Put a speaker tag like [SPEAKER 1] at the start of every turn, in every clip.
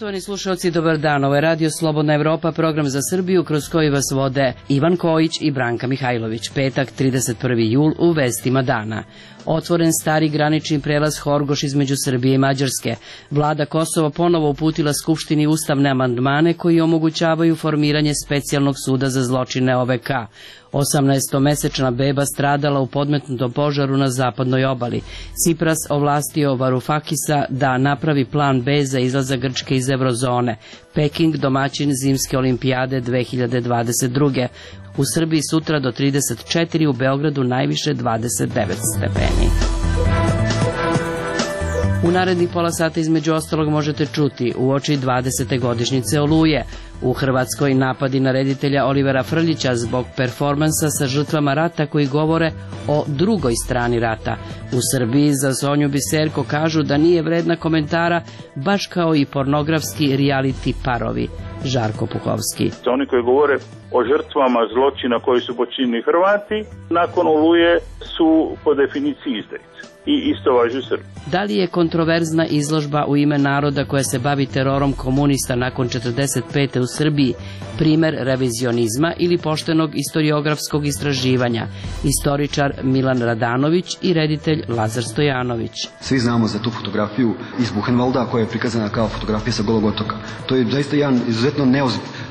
[SPEAKER 1] Poštovani slušalci, dobar dan. Ovo je Radio Slobodna Evropa, program za Srbiju kroz koji vas vode Ivan Kojić i Branka Mihajlović. Petak, 31. jul, u vestima dana. Otvoren stari granični prelaz Horgoš između Srbije i Mađarske. Vlada Kosova ponovo uputila Skupštini ustavne amandmane koji omogućavaju formiranje specijalnog suda za zločine OVK. 18-mesečna beba stradala u podmetnutom požaru na zapadnoj obali. Cipras ovlastio Varufakisa da napravi plan B za izlazak Grčke iz eurozone. Peking domaćin zimske olimpijade 2022. U Srbiji sutra do 34, u Beogradu najviše 29 stepeni. U narednih pola sata između ostalog možete čuti uoči 20. godišnjice Oluje. U Hrvatskoj napadi na reditelja Olivera Frljića zbog performansa sa žrtvama rata koji govore o drugoj strani rata. U Srbiji za Sonju Biserko kažu da nije vredna komentara, baš kao i pornografski reality parovi. Žarko Puhovski.
[SPEAKER 2] Oni koji govore o žrtvama zločina koji su počinili Hrvati, nakon Oluje su po definiciji izdajice. I isto važi u Srbiji.
[SPEAKER 1] Da li je kontroverzna izložba u ime naroda koja se bavi terorom komunista nakon 45. u Srbiji primer revizionizma ili poštenog istoriografskog istraživanja? Istoričar Milan Radanović i reditelj Lazar Stojanović.
[SPEAKER 3] Svi znamo za tu fotografiju iz Buchenwalda koja je prikazana kao fotografija sa Golog otoka. To je zaista jedan izuzetno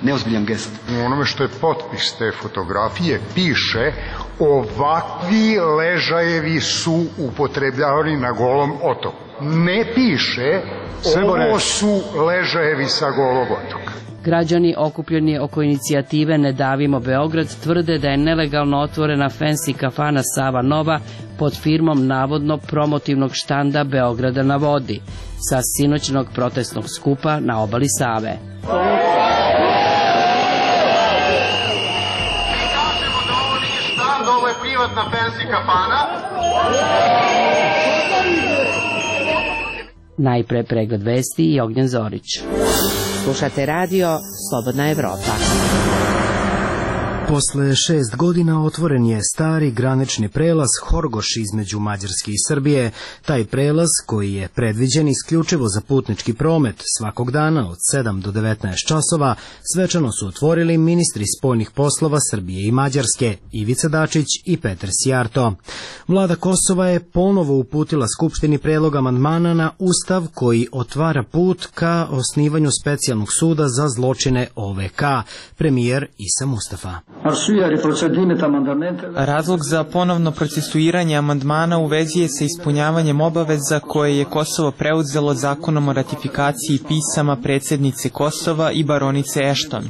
[SPEAKER 3] neozbiljan gest.
[SPEAKER 4] U onome što je potpis te fotografije piše: ovakvi ležajevi su upotrebljavani na Golom otoku. Ne piše ovo su ležajevi sa Golog otoka.
[SPEAKER 1] Građani okupljeni oko inicijative Ne davimo Beograd tvrde da je nelegalno otvorena fancy kafana Sava Nova pod firmom navodno promotivnog štanda Beograda na vodi sa sinoćnog protestnog skupa na obali Save.
[SPEAKER 4] Ovo je privatna fancy kafana.
[SPEAKER 1] Najpre pregled vesti i Ognjen Zorić.
[SPEAKER 5] Slušate radio Slobodna Evropa.
[SPEAKER 6] Posle 6 godina otvoren je stari granični prelaz Horgoš između Mađarske i Srbije. Taj prelaz, koji je predviđen isključivo za putnički promet svakog dana od 7 do 19 časova, svečano su otvorili ministri spoljnih poslova Srbije i Mađarske, Ivica Dačić i Petar Sijarto. Vlada Kosova je ponovo uputila Skupštini predlog amandmana na Ustav koji otvara put ka osnivanju specijalnog suda za zločine OVK. Premijer Isa Mustafa.
[SPEAKER 7] Razlog za ponovno procesuiranje amandmana u vezi je sa ispunjavanjem obaveza koje je Kosovo preuzelo zakonom o ratifikaciji pisama predsjednice Kosova i baronice Ashton.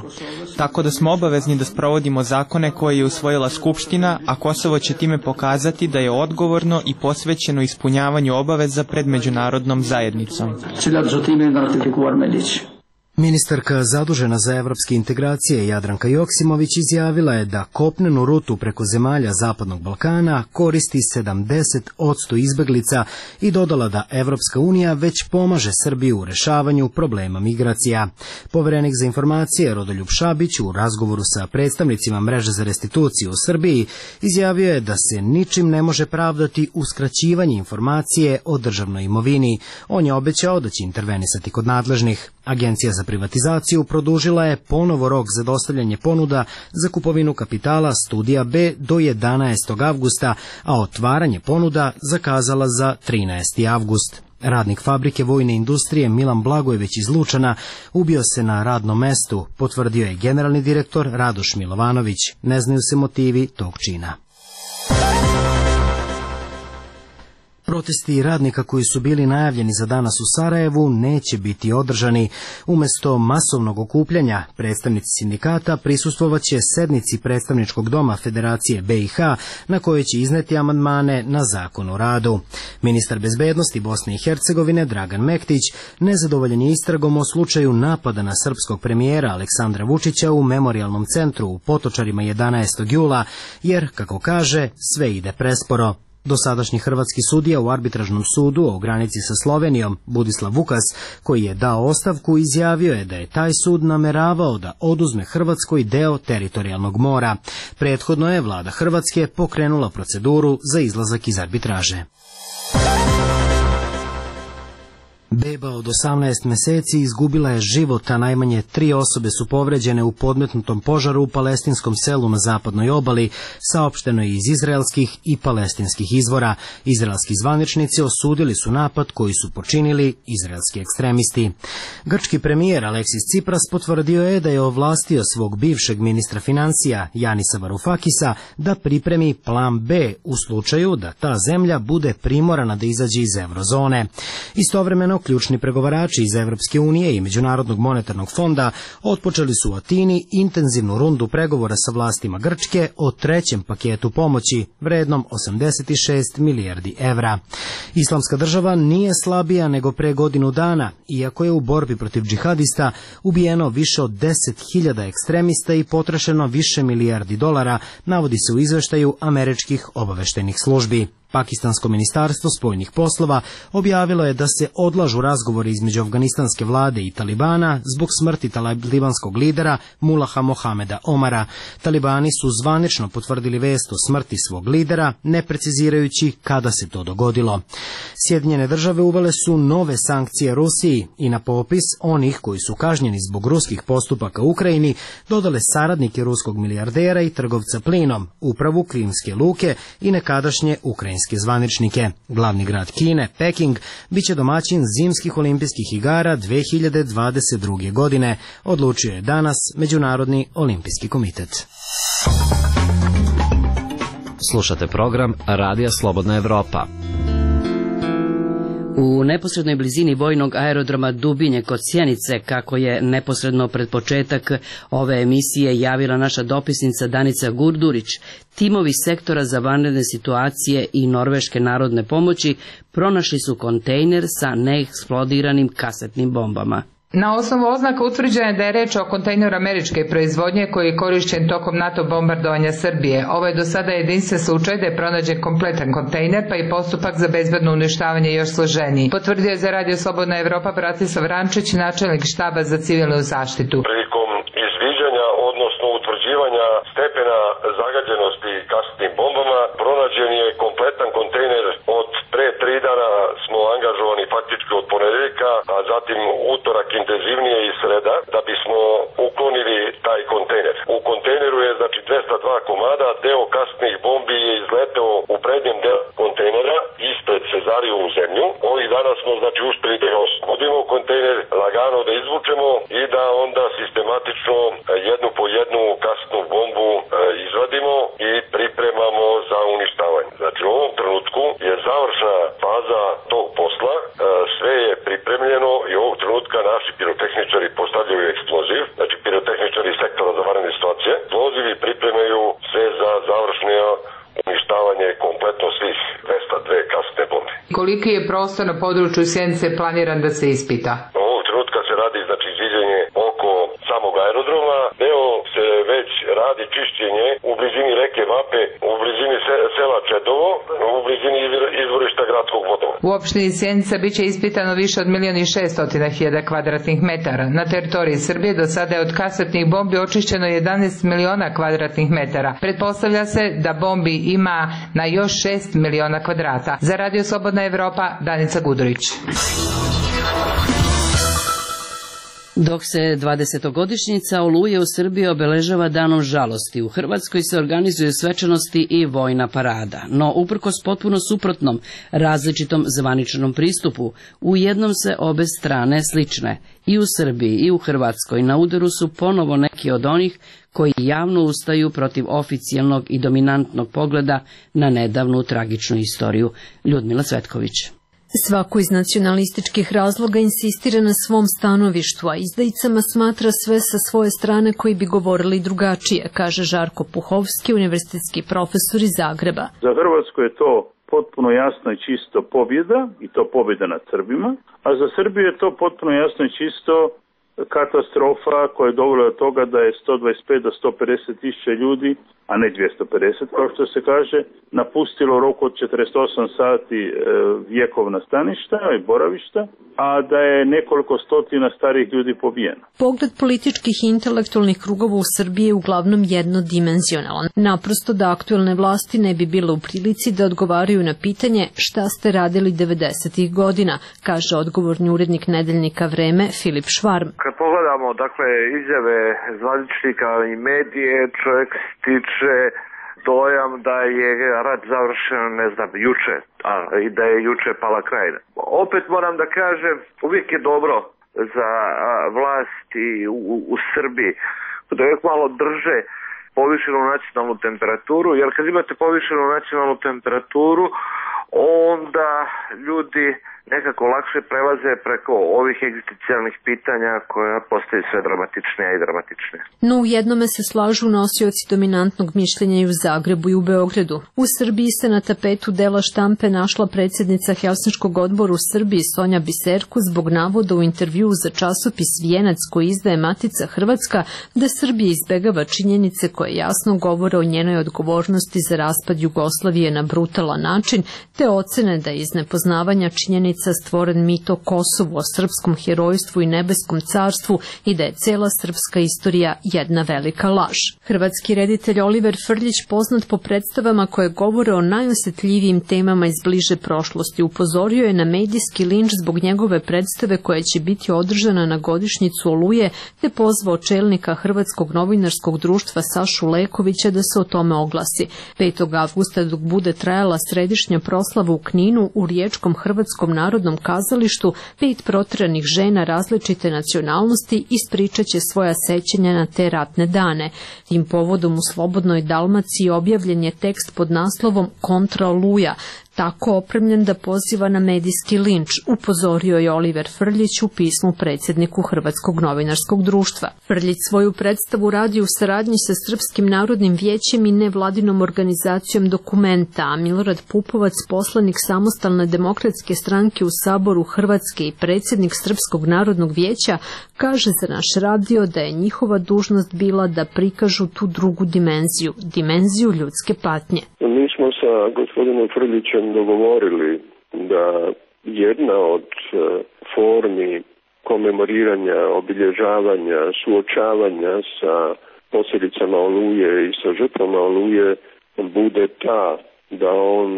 [SPEAKER 7] Tako da smo obavezni da sprovodimo zakone koje je usvojila Skupština, a Kosovo će time pokazati da je odgovorno i posvećeno ispunjavanju obaveza pred međunarodnom zajednicom.
[SPEAKER 6] Ministarka zadužena za evropske integracije Jadranka Joksimović izjavila je da kopnenu rutu preko zemalja Zapadnog Balkana koristi 70% izbeglica i dodala da Evropska unija već pomaže Srbiju u rešavanju problema migracija. Poverenik za informacije Rodoljub Šabić u razgovoru sa predstavnicima mreže za restituciju u Srbiji izjavio je da se ničim ne može pravdati uskraćivanje informacije o državnoj imovini. On je obećao da će intervenisati kod nadležnih. Agencija za privatizaciju produžila je ponovo rok za dostavljanje ponuda za kupovinu kapitala Studija B do 11. avgusta, a otvaranje ponuda zakazala za 13. avgust. Radnik fabrike vojne industrije Milan Blagojević iz Lučana ubio se na radnom mestu, potvrdio je generalni direktor Radoš Milovanović. Ne znaju se motivi tog čina. Protesti radnika koji su bili najavljeni za danas u Sarajevu neće biti održani. Umesto masovnog okupljanja, predstavnici sindikata prisustvovaće sednici predstavničkog doma Federacije BiH na kojoj će izneti amandmane na zakon o radu. Ministar bezbednosti Bosne i Hercegovine Dragan Mektić nezadovoljan je istragom o slučaju napada na srpskog premijera Aleksandra Vučića u memorijalnom centru u Potočarima 11. jula, jer, kako kaže, sve ide presporo. Dosadašnji hrvatski sudija u arbitražnom sudu o granici sa Slovenijom, Budislav Vukas, koji je dao ostavku, izjavio je da je taj sud nameravao da oduzme Hrvatskoj deo teritorijalnog mora. Prethodno je vlada Hrvatske pokrenula proceduru za izlazak iz arbitraže. Beba od 18 meseci izgubila je život, a najmanje 3 osobe su povređene u podmetnutom požaru u palestinskom selu na zapadnoj obali, saopšteno je iz izraelskih i palestinskih izvora. Izraelski zvaničnici osudili su napad koji su počinili izraelski ekstremisti. Grčki premijer Aleksis Tsipras potvrdio je da je ovlastio svog bivšeg ministra financija Janisa Varufakisa da pripremi plan B u slučaju da ta zemlja bude primorana da izađe iz eurozone. Istovremeno, ključni pregovarači iz Evropske unije i Međunarodnog monetarnog fonda otpočeli su u Atini intenzivnu rundu pregovora sa vlastima Grčke o trećem paketu pomoći vrednom 86 milijardi evra. Islamska država nije slabija nego pre godinu dana, iako je u borbi protiv džihadista ubijeno više od 10.000 ekstremista i potrošeno više milijardi dolara, navodi se u izveštaju američkih obaveštajnih službi. Pakistansko ministarstvo spoljnih poslova objavilo je da se odlažu razgovori između afganistanske vlade i Talibana zbog smrti talibanskog lidera Mulaha Mohameda Omara. Talibani su zvanično potvrdili vest o smrti svog lidera, ne precizirajući kada se to dogodilo. Sjedinjene države uvele su nove sankcije Rusiji i na popis onih koji su kažnjeni zbog ruskih postupaka u Ukrajini dodale saradnike ruskog milijardera i trgovca plinom, upravu Krimske luke i nekadašnje ukrajinske zvaničnike. Glavni grad Kine, Peking, biće domaćin zimskih olimpijskih igara 2022. godine, odlučio je danas Međunarodni olimpijski komitet.
[SPEAKER 8] Slušate program Radija Slobodna Evropa.
[SPEAKER 1] U neposrednoj blizini vojnog aerodroma Dubinje kod Sjenice, kako je neposredno pred početak ove emisije javila naša dopisnica Danica Gurdurić, timovi sektora za vanredne situacije i Norveške narodne pomoći pronašli su kontejner sa neeksplodiranim kasetnim bombama.
[SPEAKER 9] Na osnovu oznaka utvrđeno je da je reč o kontejneru američke proizvodnje koji je korišćen tokom NATO bombardovanja Srbije. Ovo je do sada jedinstven slučaj da je pronađen kompletan kontejner, pa i postupak za bezbedno uništavanje još složeniji. Potvrdio je za Radio Slobodna Evropa Bratislav Rančić, načelnik štaba za civilnu zaštitu.
[SPEAKER 10] Prilikom izviđanja, odnosno utvrđivanja stepena zagađenosti kasetnim bombama, pronađen je kompletan kontejner. Od pre 3 dana smo angažovani faktički od ponedeljka, a zatim utorak intenzivnije i sreda, da bismo uklonili taj kontejner. U kontejneru je 202 komada, deo kasetnih bombi je izleteo u prednjem delu kontejnera, ispred Cezariju u zemlju. Ovih dana smo uspeli da oslobodimo kontejner, lagano da izvučemo i da onda sistematično jednu po jednu kasetnu bombu izvadimo i pripremamo za uništavanje. Znači u ovom trenutku je završna faza tog posla, sve je pripremljeno i ovog trenutka naši pirotehničari postavljaju eksploziv, znači pirotehničari sektora za vanredne situacije. Eksplozivi pripremaju sve za završno uništavanje kompletno svih 202 kasetne bombe.
[SPEAKER 9] Koliki je prostor na području Sjenice planiran da se ispita?
[SPEAKER 10] Ovog trenutka se radi izviđenje oko samog aerodroma, deo se već radi čišćenje u blizini reke Vape, u blizini sela Čedovo, u blizini izvorišta gradskog vodovoda.
[SPEAKER 9] U opštini Sjenica biće ispitano više od 1.600.000 kvadratnih metara. Na teritoriji Srbije do sada je od kasetnih bombi očišćeno 11 miliona kvadratnih metara. Pretpostavlja se da bombi ima na još 6 miliona kvadrata. Za Radio Slobodna Evropa, Danica Gudurić.
[SPEAKER 1] Dok se 20-godišnjica Oluje u Srbiji obeležava danom žalosti, u Hrvatskoj se organizuju svečanosti i vojna parada. No, uprkos potpuno suprotnom, različitom zvaničnom pristupu, u jednom se obe strane slične. I u Srbiji i u Hrvatskoj na udaru su ponovo neki od onih koji javno ustaju protiv oficijalnog i dominantnog pogleda na nedavnu tragičnu istoriju. Ljudmila Cvetković.
[SPEAKER 11] Svako iz nacionalističkih razloga insistira na svom stanovištu, a izdajicama smatra sve sa svoje strane koji bi govorili drugačije, kaže Žarko Puhovski, univerzitetski profesor iz Zagreba.
[SPEAKER 2] Za Hrvatsku je to potpuno jasno i čisto pobjeda, i to pobjeda nad Srbima, a za Srbiju je to potpuno jasno i čisto katastrofa koja je dovela do toga da je 125 do 150 tisuća ljudi a ne 250 kao što se kaže, napustilo u roku od 48 sati vjekovna staništa i boravišta, a da je nekoliko stotina starih ljudi pobijeno.
[SPEAKER 11] Pogled političkih i intelektualnih krugova u Srbiji je uglavnom jednodimenzionalan. Naprosto da aktuelne vlasti ne bi bile u prilici da odgovaraju na pitanje šta ste radili 90-ih godina, kaže odgovorni urednik nedeljnika Vreme Filip Švarm.
[SPEAKER 12] Kad pogledamo izjave zvaničnika i medije, čovjek stiče dojam da je rat završen, juče, i da je juče pala Krajina. Opet moram da kažem, uvijek je dobro za vlasti u Srbiji da uvijek malo drže povišenu nacionalnu temperaturu, jer kad imate povišenu nacionalnu temperaturu, onda ljudi nekako lakše prelaze preko ovih egzistencijalnih pitanja koja postaju sve dramatičnija i dramatičnija.
[SPEAKER 11] No u jednome se slažu nosioci dominantnog mišljenja i u Zagrebu i u Beogradu. U Srbiji se na tapetu dela štampe našla predsjednica Helsinškog odbora u Srbiji Sonja Biserko zbog navoda u intervjuu za časopis Vijenac koji izdaje Matica Hrvatska da Srbija izbegava činjenice koje jasno govore o njenoj odgovornosti za raspad Jugoslavije na brutalan način, te ocene da je iz nepoznavanja činjenica stvoren mit o Kosovu, o srpskom herojstvu i nebeskom carstvu i da je cela srpska istorija jedna velika laž. Hrvatski reditelj Oliver Frljić, poznat po predstavama koje govore o najosjetljivijim temama iz bliže prošlosti, upozorio je na medijski linč zbog njegove predstave koja će biti održana na godišnjicu Oluje, te pozvao čelnika Hrvatskog novinarskog društva Sašu Lekovića da se o tome oglasi. 5. avgusta dok bude trajala središnja proslava u Kninu, u Riječkom Hrvatskom narodnom kazalištu 5 proteranih žena različite nacionalnosti ispričat će svoja sećanja na te ratne dane. Tim povodom u Slobodnoj Dalmaciji objavljen je tekst pod naslovom Kontra Oluja, tako opremljen da poziva na medijski linč, upozorio je Oliver Frljić u pismu predsjedniku Hrvatskog novinarskog društva. Frljić svoju predstavu radi u saradnji sa Srpskim narodnim vijećem i nevladinom organizacijom Dokumenta, a Milorad Pupovac, poslanik Samostalne demokratske stranke u Saboru Hrvatske i predsjednik Srpskog narodnog vijeća, kaže za naš radio da je njihova dužnost bila da prikažu tu drugu dimenziju ljudske patnje.
[SPEAKER 13] Mi smo sa gospodinom Frljićem dogovorili da jedna od formi komemoriranja, obilježavanja, suočavanja sa posljedicama Oluje i sa žrtvama Oluje bude ta da on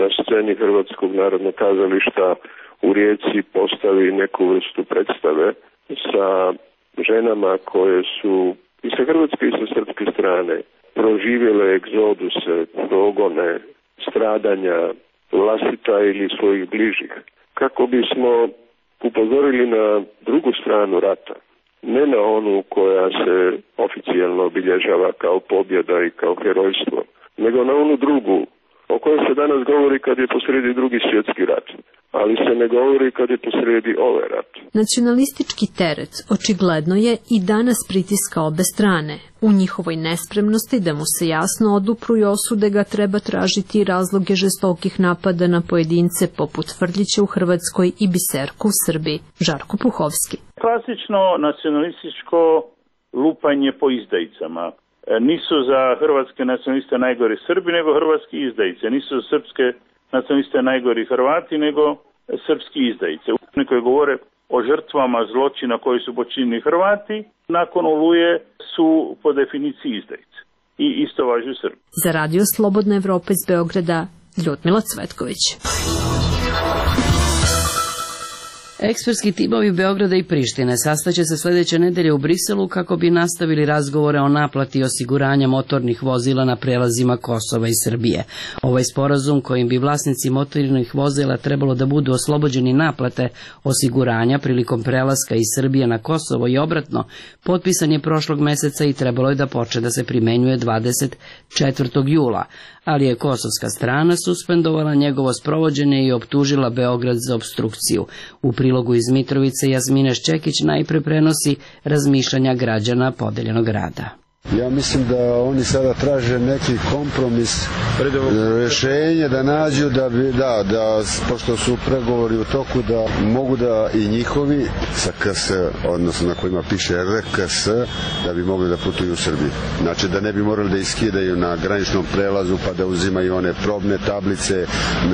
[SPEAKER 13] na sceni Hrvatskog narodnog kazališta u Rijeci postavi neku vrstu predstave sa ženama koje su i sa hrvatske i sa srpske strane proživjele egzoduse, progone, stradanja vlastita ili svojih bližih, kako bismo upozorili na drugu stranu rata, ne na onu koja se oficijalno obilježava kao pobjeda i kao herojstvo, nego na onu drugu, o kojoj se danas govori kad je posrijedi Drugi svjetski rat, ali se ne govori kad je posrijedi ovaj rat.
[SPEAKER 11] Nacionalistički teret očigledno je i danas pritiska obe strane. U njihovoj nespremnosti da mu se jasno odupru i osude ga treba tražiti razloge žestokih napada na pojedince poput Frljića u Hrvatskoj i Biserku u Srbiji. Žarko Puhovski.
[SPEAKER 2] Klasično nacionalističko lupanje po izdajicama. Nisu za hrvatske nacionaliste najgori Srbi, nego hrvatski izdajice. Nisu za srpske nacionaliste najgori Hrvati, nego srpski izdajice. Oni koji govore o žrtvama zločina koji su počinili Hrvati, nakon Oluje su po definiciji izdajice. I isto važi u Srbiji.
[SPEAKER 11] Za Radio Slobodna Evropa iz Beograda, Ljudmila Cvetković.
[SPEAKER 1] Ekspertski timovi Beograda i Prištine sastaće se sljedeće nedelje u Briselu kako bi nastavili razgovore o naplati osiguranja motornih vozila na prelazima Kosova i Srbije. Ovaj sporazum kojim bi vlasnici motornih vozila trebalo da budu oslobođeni naplate osiguranja prilikom prelaska iz Srbije na Kosovo i obratno, potpisan je prošlog meseca i trebalo je da počne da se primenjuje 24. jula, ali je kosovska strana suspendovala njegovo sprovođenje i optužila Beograd za opstrukciju. U prilogu iz Mitrovice Jasmina Ščekić najpre prenosi razmišljanja građana podeljenog grada.
[SPEAKER 14] Ja mislim da oni sada traže neki kompromis, rešenje da nađu da pošto su pregovori u toku da mogu da i njihovi sa KS, odnosno na kojima piše RKS, da bi mogli da putuju u Srbiji. Znači da ne bi morali da iskidaju na graničnom prelazu pa da uzimaju one probne tablice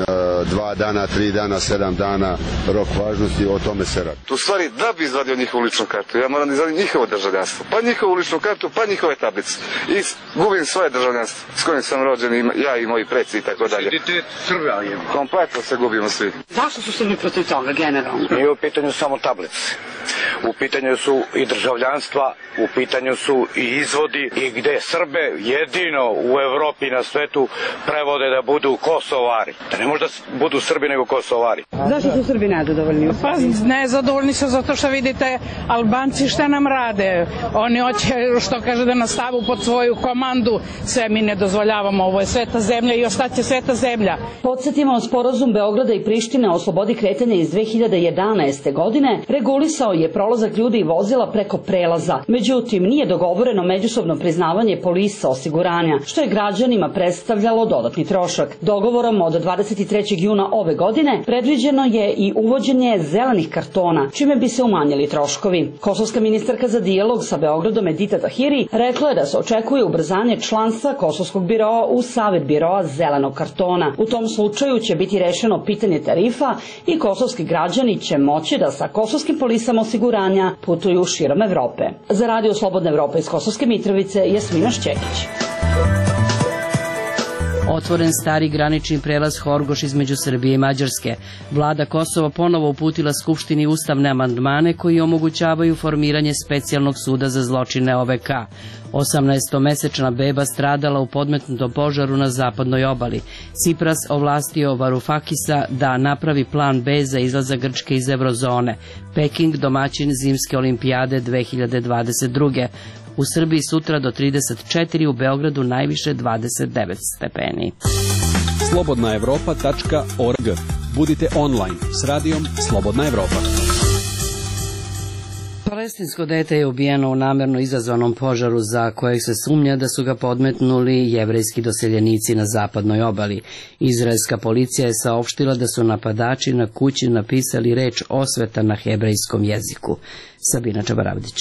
[SPEAKER 14] 2 dana, 3 dana, 7 dana rok važnosti, o tome se radi.
[SPEAKER 15] U stvari da bi izvadio njihovu ličnu kartu, ja moram da izvadim njihovo državljanstvo, pa njihovu ličnu kartu, pa njihove tablice. I gubim svoje državljanstvo s kojim sam rođen, ja i moji preci i tako dalje.
[SPEAKER 16] Identitet Srba je.
[SPEAKER 15] Kompletno se gubimo svi.
[SPEAKER 16] Zašto su Srbi protiv toga generalno?
[SPEAKER 17] Nije u pitanju samo tablice. U pitanju su i državljanstva, u pitanju su i izvodi i gde Srbe jedino u Evropi i na svetu prevode da budu Kosovari. Da ne možda budu Srbi nego Kosovari.
[SPEAKER 16] Zašto su Srbi nezadovoljni?
[SPEAKER 18] Pa nezadovoljni su zato što vidite Albanci šta nam rade. Oni hoće, što kaže, da nas stavu pod svoju komandu. Sve mi ne dozvoljavamo, ovo je sveta zemlja i ostaće sveta zemlja.
[SPEAKER 19] Podsjetimo, sporazum Beograda i Prištine o slobodi kretanja iz 2011. godine regulisao je prolazak ljudi i vozila preko prelaza. Međutim, nije dogovoreno međusobno priznavanje polisa osiguranja, što je građanima predstavljalo dodatni trošak. Dogovorom od 23. juna ove godine predviđeno je i uvođenje zelenih kartona, čime bi se umanjili troškovi. Kosovska ministarka za dijalog sa Beogradom Edita Tahiri rekla je da se očekuje ubrzanje članstva Kosovskog biroa u Savet biroa zelenog kartona. U tom slučaju će biti rešeno pitanje tarifa i kosovski građani će moći da sa kosovskim polisama osiguranja putuju širom Evrope. Za Radio Slobodna Evropa iz Kosovske Mitrovice, Jasmina Šćekić.
[SPEAKER 1] Otvoren stari granični prelaz Horgoš između Srbije i Mađarske. Vlada Kosova ponovo uputila Skupštini ustavne amandmane koji omogućavaju formiranje specijalnog suda za zločine OVK. 18-mesečna beba stradala u podmetnutom požaru na zapadnoj obali. Cipras ovlastio Varufakisa da napravi plan B za izlazak Grčke iz eurozone. Peking domaćin zimske olimpijade 2022. U Srbiji sutra do 34, u Beogradu najviše 29 stepeni.
[SPEAKER 20] slobodnaevropa.org. Budite online s radijom Slobodna Evropa.
[SPEAKER 1] Palestinsko dete je ubijeno u namerno izazvanom požaru za kojeg se sumnja da su ga podmetnuli jevrejski doseljenici na zapadnoj obali. Izraelska policija je saopštila da su napadači na kući napisali reč osveta na hebrejskom jeziku. Sabina Čabaravdić.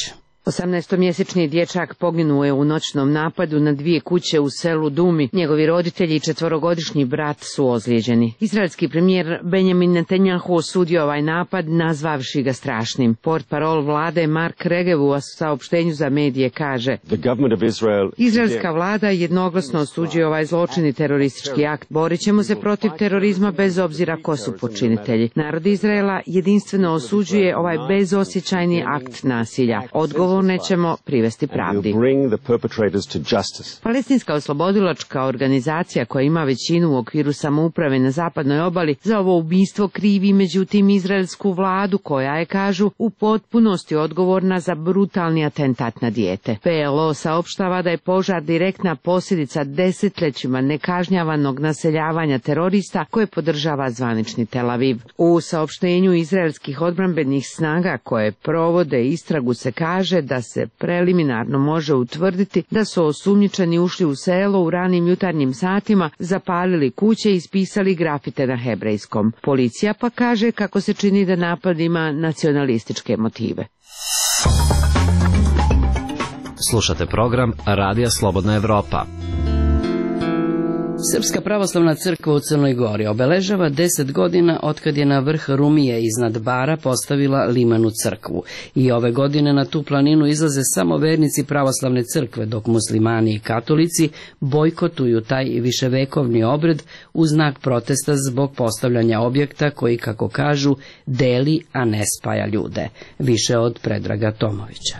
[SPEAKER 21] 18-mjesečni dječak poginuo je u noćnom napadu na 2 kuće u selu Dumi. Njegovi roditelji i 4-godišnji brat su ozlijeđeni. Izraelski premijer Benjamin Netanjahu osudio ovaj napad, nazvavši ga strašnim. Portparol vlade Mark Regev u saopštenju za medije kaže: Izraelska vlada jednoglasno osuđuje ovaj zločin i teroristički akt. Borit ćemo se protiv terorizma bez obzira ko su počinitelji. Narod Izraela jedinstveno osuđuje ovaj bezosjećajni akt nasilja. Odgovorne ćemo privesti pravdi. Palestinska oslobodilačka organizacija koja ima većinu u okviru samouprave na zapadnoj obali za ovo ubistvo krivi međutim izraelsku vladu koja je, kažu, u potpunosti odgovorna za brutalni atentat na dijete. PLO saopštava da je požar direktna posljedica desetljećima nekažnjavanog naseljavanja terorista koje podržava zvanični Tel Aviv. U saopštenju izraelskih odbrambenih snaga koje provode istragu se kaže da se preliminarno može utvrditi da su osumnjičeni ušli u selo u ranim jutarnjim satima, zapalili kuće i ispisali grafite na hebrejskom. Policija pa kaže kako se čini da napad ima nacionalističke motive.
[SPEAKER 8] Slušate program Radija Slobodna Evropa.
[SPEAKER 1] Srpska pravoslavna crkva u Crnoj Gori obeležava 10 godina otkad je na vrh Rumije iznad Bara postavila limenu crkvu. I ove godine na tu planinu izlaze samo vernici pravoslavne crkve, dok muslimani i katolici bojkotuju taj viševekovni obred u znak protesta zbog postavljanja objekta koji, kako kažu, deli, a ne spaja ljude. Više od Predraga Tomovića.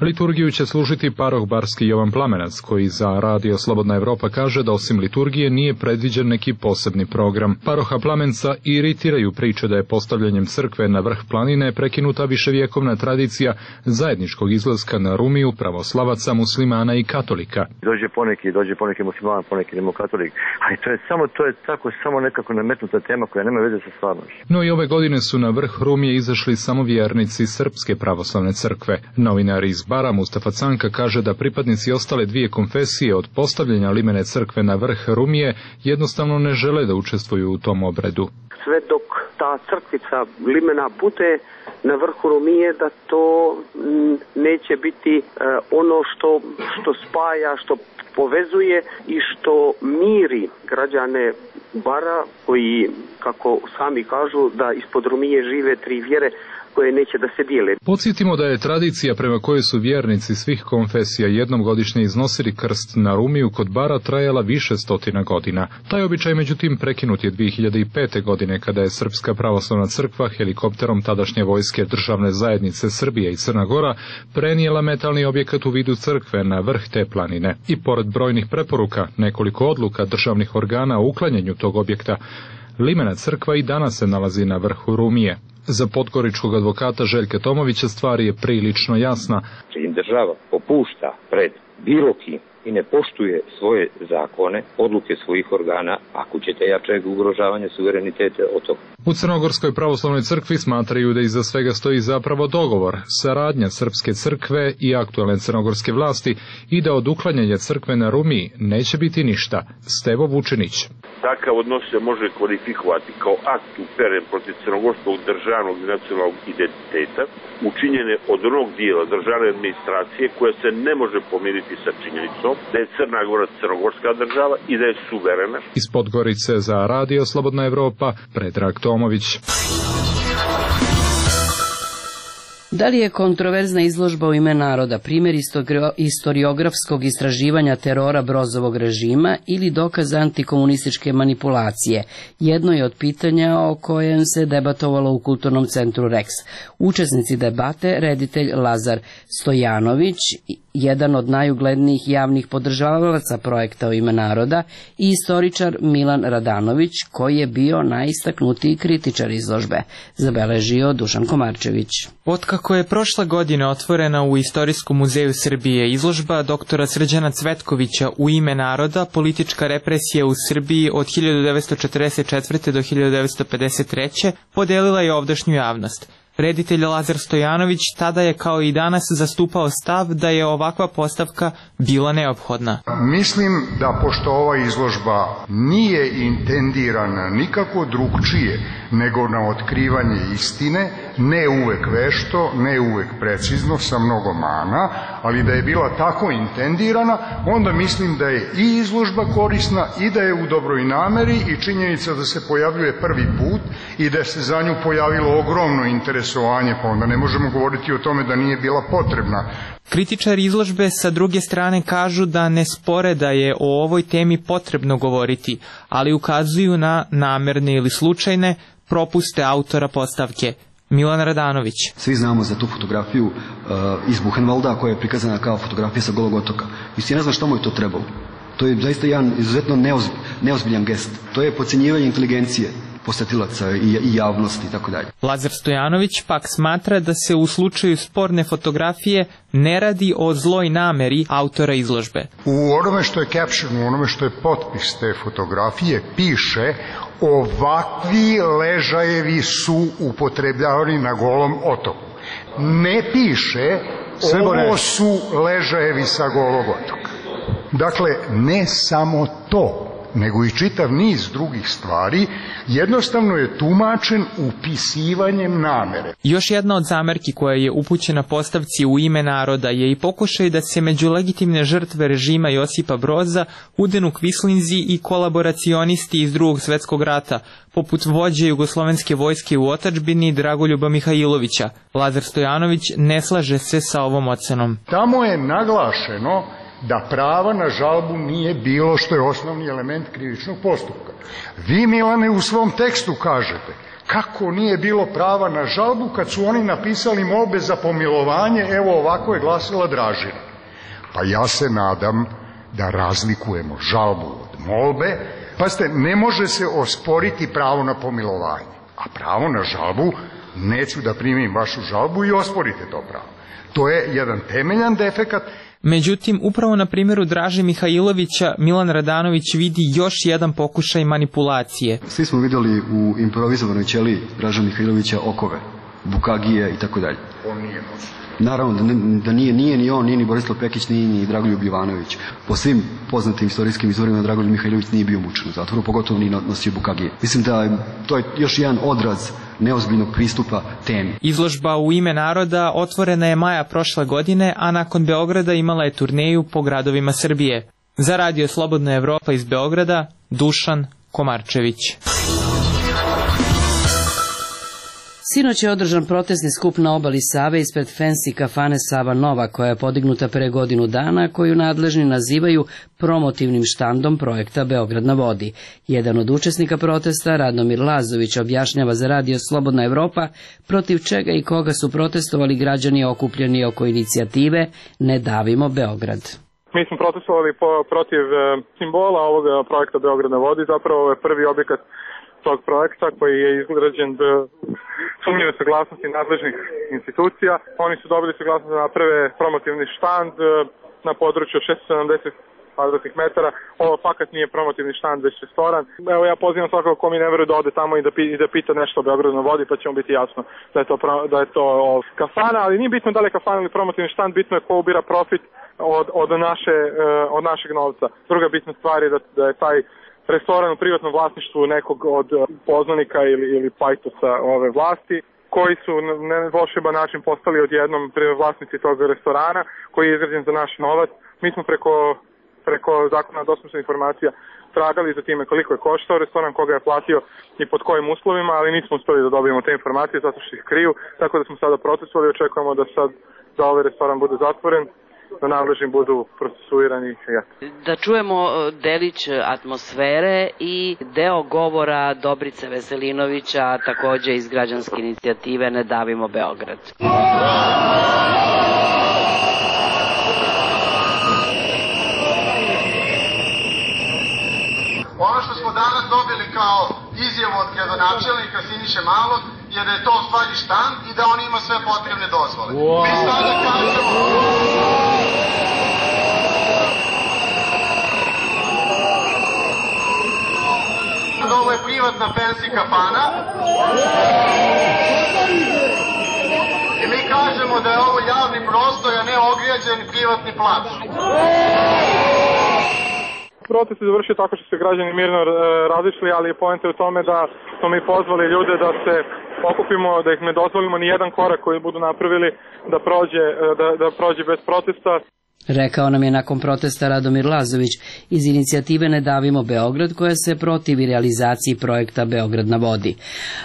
[SPEAKER 22] Liturgiju će služiti paroh Barski Jovan Plamenac, koji za Radio Slobodna Evropa kaže da osim liturgije nije predviđen neki posebni program. Paroha Plamenca iritiraju priče da je postavljanjem crkve na vrh planine prekinuta viševjekovna tradicija zajedničkog izlaska na Rumiju pravoslavaca, muslimana i katolika.
[SPEAKER 12] Dođe poneki musliman, poneki katolik, ali to je samo nekako nametnuta tema koja nema veze sa stvarnošću.
[SPEAKER 22] No i ove godine su na vrh Rumije izašli samo vjernici Srpske pravoslavne crkve. Novinar iz Bara Mustafa Canka kaže da pripadnici ostale dvije konfesije od postavljanja limene crkve na vrh Rumije jednostavno ne žele da učestvuju u tom obredu.
[SPEAKER 3] Sve dok ta crkvica limena bude na vrhu Rumije, da to neće biti ono što spaja, što povezuje i što miri građane Bara koji, kako sami kažu, da ispod Rumije žive tri vjere koje neće da se dijele.
[SPEAKER 22] Podsjetimo da je tradicija prema kojoj su vjernici svih konfesija jednom godišnje iznosili krst na Rumiju kod Bara trajala više stotina godina. Taj običaj međutim prekinut je 2005. godine kada je Srpska pravoslavna crkva helikopterom tadašnje vojske državne zajednice Srbije i Crna Gora prenijela metalni objekat u vidu crkve na vrh te planine. I pored brojnih preporuka, nekoliko odluka državnih organa o uklanjanju tog objekta, limena crkva i danas se nalazi na vrhu Rumije. Za podgoričkog advokata Željka Tomovića stvar je prilično jasna.
[SPEAKER 4] Im država popušta pred bilo kim i ne poštuje svoje zakone, odluke svojih organa, ako ćete jačeg ugrožavanja suvereniteta od toga.
[SPEAKER 22] U Crnogorskoj pravoslavnoj crkvi smatraju da iza svega stoji zapravo dogovor, saradnja Srpske crkve i aktualne crnogorske vlasti i da od uklanjanja crkve na Rumiji neće biti ništa. Stevo Vučinić.
[SPEAKER 23] Takav odnos se može kvalifikovati kao akt uperen protiv crnogorskog državnog i nacionalnog identiteta, učinjene od onog dijela državne administracije koja se ne može pomiriti sa činjenicom da je Crna Gora crnogorska država i da je suverena.
[SPEAKER 22] Iz Podgorice za Radio Slobodna Evropa, Predrag Tomović.
[SPEAKER 1] Da li je kontroverzna izložba u ime naroda primjer istoriografskog istraživanja terora Brozovog režima ili dokaz antikomunističke manipulacije? Jedno je od pitanja o kojem se debatovalo u Kulturnom centru Rex. Učesnici debate, reditelj Lazar Stojanović, jedan od najuglednijih javnih podržavalaca projekta u ime naroda, i istoričar Milan Radanović, koji je bio najistaknutiji kritičar izložbe, zabeležio Dušan Komarčević.
[SPEAKER 7] Otkako je prošle godine otvorena u Istorijskom muzeju Srbije izložba doktora Srđana Cvetkovića U ime naroda, politička represija u Srbiji od 1944. do 1953. podelila je ovdašnju javnost. Reditelj Lazar Stojanović tada je kao i danas zastupao stav da je ovakva postavka bila neophodna.
[SPEAKER 24] Mislim da pošto ova izložba nije intendirana nikako drugčije nego na otkrivanje istine, ne uvek vešto, ne uvek precizno, sa mnogo mana, ali da je bila tako intendirana, onda mislim da je i izložba korisna i da je u dobroj nameri i činjenica da se pojavljuje prvi put i da se za nju pojavilo ogromno interesovanje, pa onda ne možemo govoriti o tome da nije bila potrebna.
[SPEAKER 7] Kritičari izložbe sa druge strane kažu da ne spore da je o ovoj temi potrebno govoriti, ali ukazuju na namerne ili slučajne propuste autora postavke. Milan Radanović.
[SPEAKER 25] Svi znamo za tu fotografiju iz Buchenwalda koja je prikazana kao fotografija sa Golog otoka. Mislim, ne znam što mu je to trebalo. To je zaista jedan izuzetno neozbiljan gest. To je podcjenjivanje inteligencije posetilaca i javnosti i tako dalje.
[SPEAKER 7] Lazar Stojanović pak smatra da se u slučaju sporne fotografije ne radi o zloj nameri autora izložbe.
[SPEAKER 24] U onome što je caption, u onome što je potpis te fotografije piše: ovakvi ležajevi su upotrebljavani na Golom otoku. Ne piše ovo su ležajevi sa Golog otoka. Dakle, ne samo to, nego i čitav niz drugih stvari, jednostavno je tumačen upisivanjem namere.
[SPEAKER 7] Još jedna od zamerki koja je upućena postavci U ime naroda je i pokušaj da se među legitimne žrtve režima Josipa Broza udenu kvislinzi i kolaboracionisti iz Drugog svjetskog rata, poput vođe jugoslovenske vojske u otadžbini Dragoljuba Mihajlovića. Lazar Stojanović ne slaže se sa ovom ocenom.
[SPEAKER 24] Tamo je naglašeno da prava na žalbu nije bilo, što je osnovni element krivičnog postupka. Vi, Milane, u svom tekstu kažete kako nije bilo prava na žalbu kad su oni napisali molbe za pomilovanje, evo ovako je glasila Dražina. Pa ja se nadam da razlikujemo žalbu od molbe. Pazite, ne može se osporiti pravo na pomilovanje, a pravo na žalbu, neću da primim vašu žalbu i osporite to pravo. To je jedan temeljan defekat.
[SPEAKER 7] Međutim, upravo na primjeru Draže Mihajlovića Milan Radanović vidi još jedan pokušaj manipulacije.
[SPEAKER 25] Svi smo vidjeli u improvizovanoj ćeliji Draže Mihajlovića okove. Bukagije i tako dalje.
[SPEAKER 23] On nije možda.
[SPEAKER 25] Naravno da nije ni on, nije ni Borislav Pekić, nije ni Dragoljub Jovanović. Po svim poznatim istorijskim izvorima Dragoljub Mihajlović nije bio mučen u zatvoru, pogotovo nije nosio Bukagije. Mislim da to je još jedan odraz neozbiljnog pristupa temi.
[SPEAKER 7] Izložba U ime naroda otvorena je maja prošle godine, a nakon Beograda imala je turneju po gradovima Srbije. Za Radio Slobodna Evropa iz Beograda, Dušan Komarčević.
[SPEAKER 1] Sinoć je održan protestni skup na obali Save ispred fancy kafane Sava Nova, koja je podignuta pre godinu dana, koju nadležni nazivaju promotivnim štandom projekta Beograd na vodi. Jedan od učesnika protesta, Radomir Lazović, objašnjava za Radio Slobodna Evropa protiv čega i koga su protestovali građani okupljeni oko inicijative Ne davimo Beograd.
[SPEAKER 5] Mi smo protestovali protiv simbola ovog projekta Beograd na vodi. Zapravo ovo je prvi objekat tog projekta koji je izgrađen sumnjive saglasnosti nadležnih institucija. Oni su dobili saglasnost da naprave promotivni štand na području 670 kvadratnih metara. Ovo fakat nije promotivni štand, već restoran. Evo ja pozivam svakako ko mi ne veruje da ode tamo i da pita nešto o Beogradu na vodi, pa će mu biti jasno da je to kafana, ali nije bitno da li je kafana ili promotivni štand, bitno je ko ubira profit od našeg novca. Druga bitna stvar je da je taj restoran u privatnom vlasništvu nekog od poznanika ili pajtosa ove vlasti, koji su na volšeban način postali odjednom vlasnici tog restorana, koji je izgrađen za naš novac. Mi smo preko zakona o dostupnosti informacija tragali za time koliko je koštao restoran, koga je platio i pod kojim uslovima, ali nismo uspeli da dobijemo te informacije zato što ih kriju, tako da smo sada protestovali i očekujemo da ovaj restoran bude zatvoren, da nadležni budu procesuirani.
[SPEAKER 1] Da čujemo delić atmosfere i deo govora Dobrice Veselinovića, takođe iz građanske inicijative Ne davimo Beograd.
[SPEAKER 6] Ono što smo danas dobili kao izjavu od gradonačelnika Siniše Malog je da je to u stvari štand i da on ima sve potrebne dozvole. Mi sada kažemo da ovo je privatna fancy kafana i mi kažemo da je ovo javni prostor, a ne ograđen privatni plac.
[SPEAKER 5] Protest se završio tako što se građani mirno razišli, ali je poenta u tome da smo mi pozvali ljude da se okupimo, da ih ne dozvolimo ni jedan korak koji budu napravili da prođe bez protesta.
[SPEAKER 1] Rekao nam je nakon protesta Radomir Lazović iz inicijative Ne davimo Beograd, koja se protivi realizaciji projekta Beograd na vodi.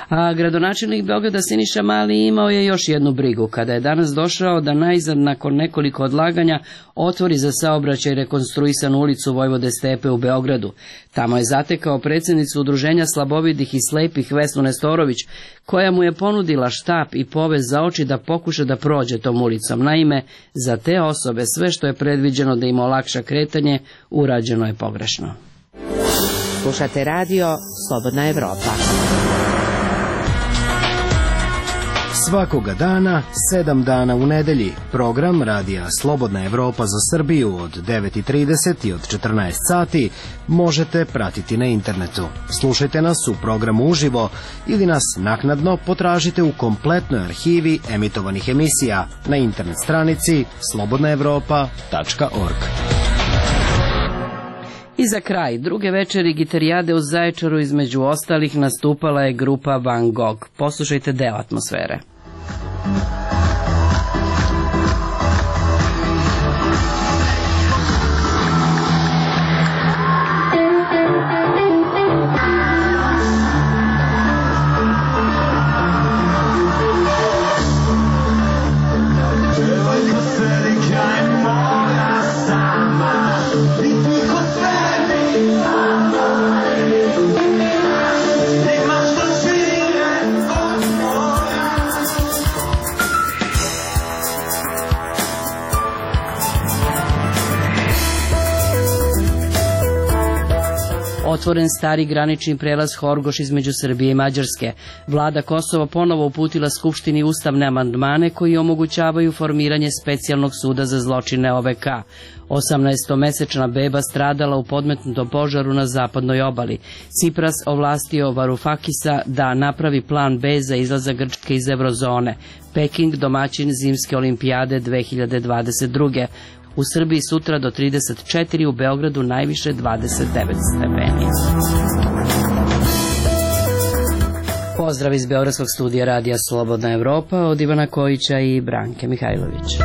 [SPEAKER 1] A gradonačelnik Beograda Siniša Mali imao je još jednu brigu kada je danas došao da najzad nakon nekoliko odlaganja otvori za saobraćaj rekonstruisanu ulicu Vojvode Stepe u Beogradu. Tamo je zatekao predsjednicu Udruženja slabovidih i slepih Vesnu Nestorović, koja mu je ponudila štap i povez za oči da pokuša da prođe tom ulicom. Naime, za te osobe sve što je predviđeno da im olakša kretanje, urađeno je pogrešno.
[SPEAKER 21] Slušate radio Slobodna Evropa.
[SPEAKER 9] Svakoga dana, 7 dana u nedelji, program radija Slobodna Evropa za Srbiju od 9:30 i od 14 sati možete pratiti na internetu. Slušajte nas u programu uživo ili nas naknadno potražite u kompletnoj arhivi emitovanih emisija na internet stranici slobodnaevropa.org.
[SPEAKER 1] I za kraj, druge večeri gitarijade u Zaječaru između ostalih nastupala je grupa Van Gogh. Poslušajte deo atmosfere. Otvoren stari granični prelaz Horgoš između Srbije i Mađarske. Vlada Kosova ponovo uputila Skupštini ustavne amandmane koji omogućavaju formiranje specijalnog suda za zločine OVK. 18-mesečna beba stradala u podmetnutom požaru na zapadnoj obali. Cipras ovlastio Varufakisa da napravi plan B za izlazak Grčke iz eurozone. Peking domaćin zimske olimpijade 2022. U Srbiji sutra do 34, u Beogradu najviše 29 stepeni. Pozdrav iz Beogradskog studija Radija Slobodna Evropa od Ivana Kojića i Branke Mihajlović.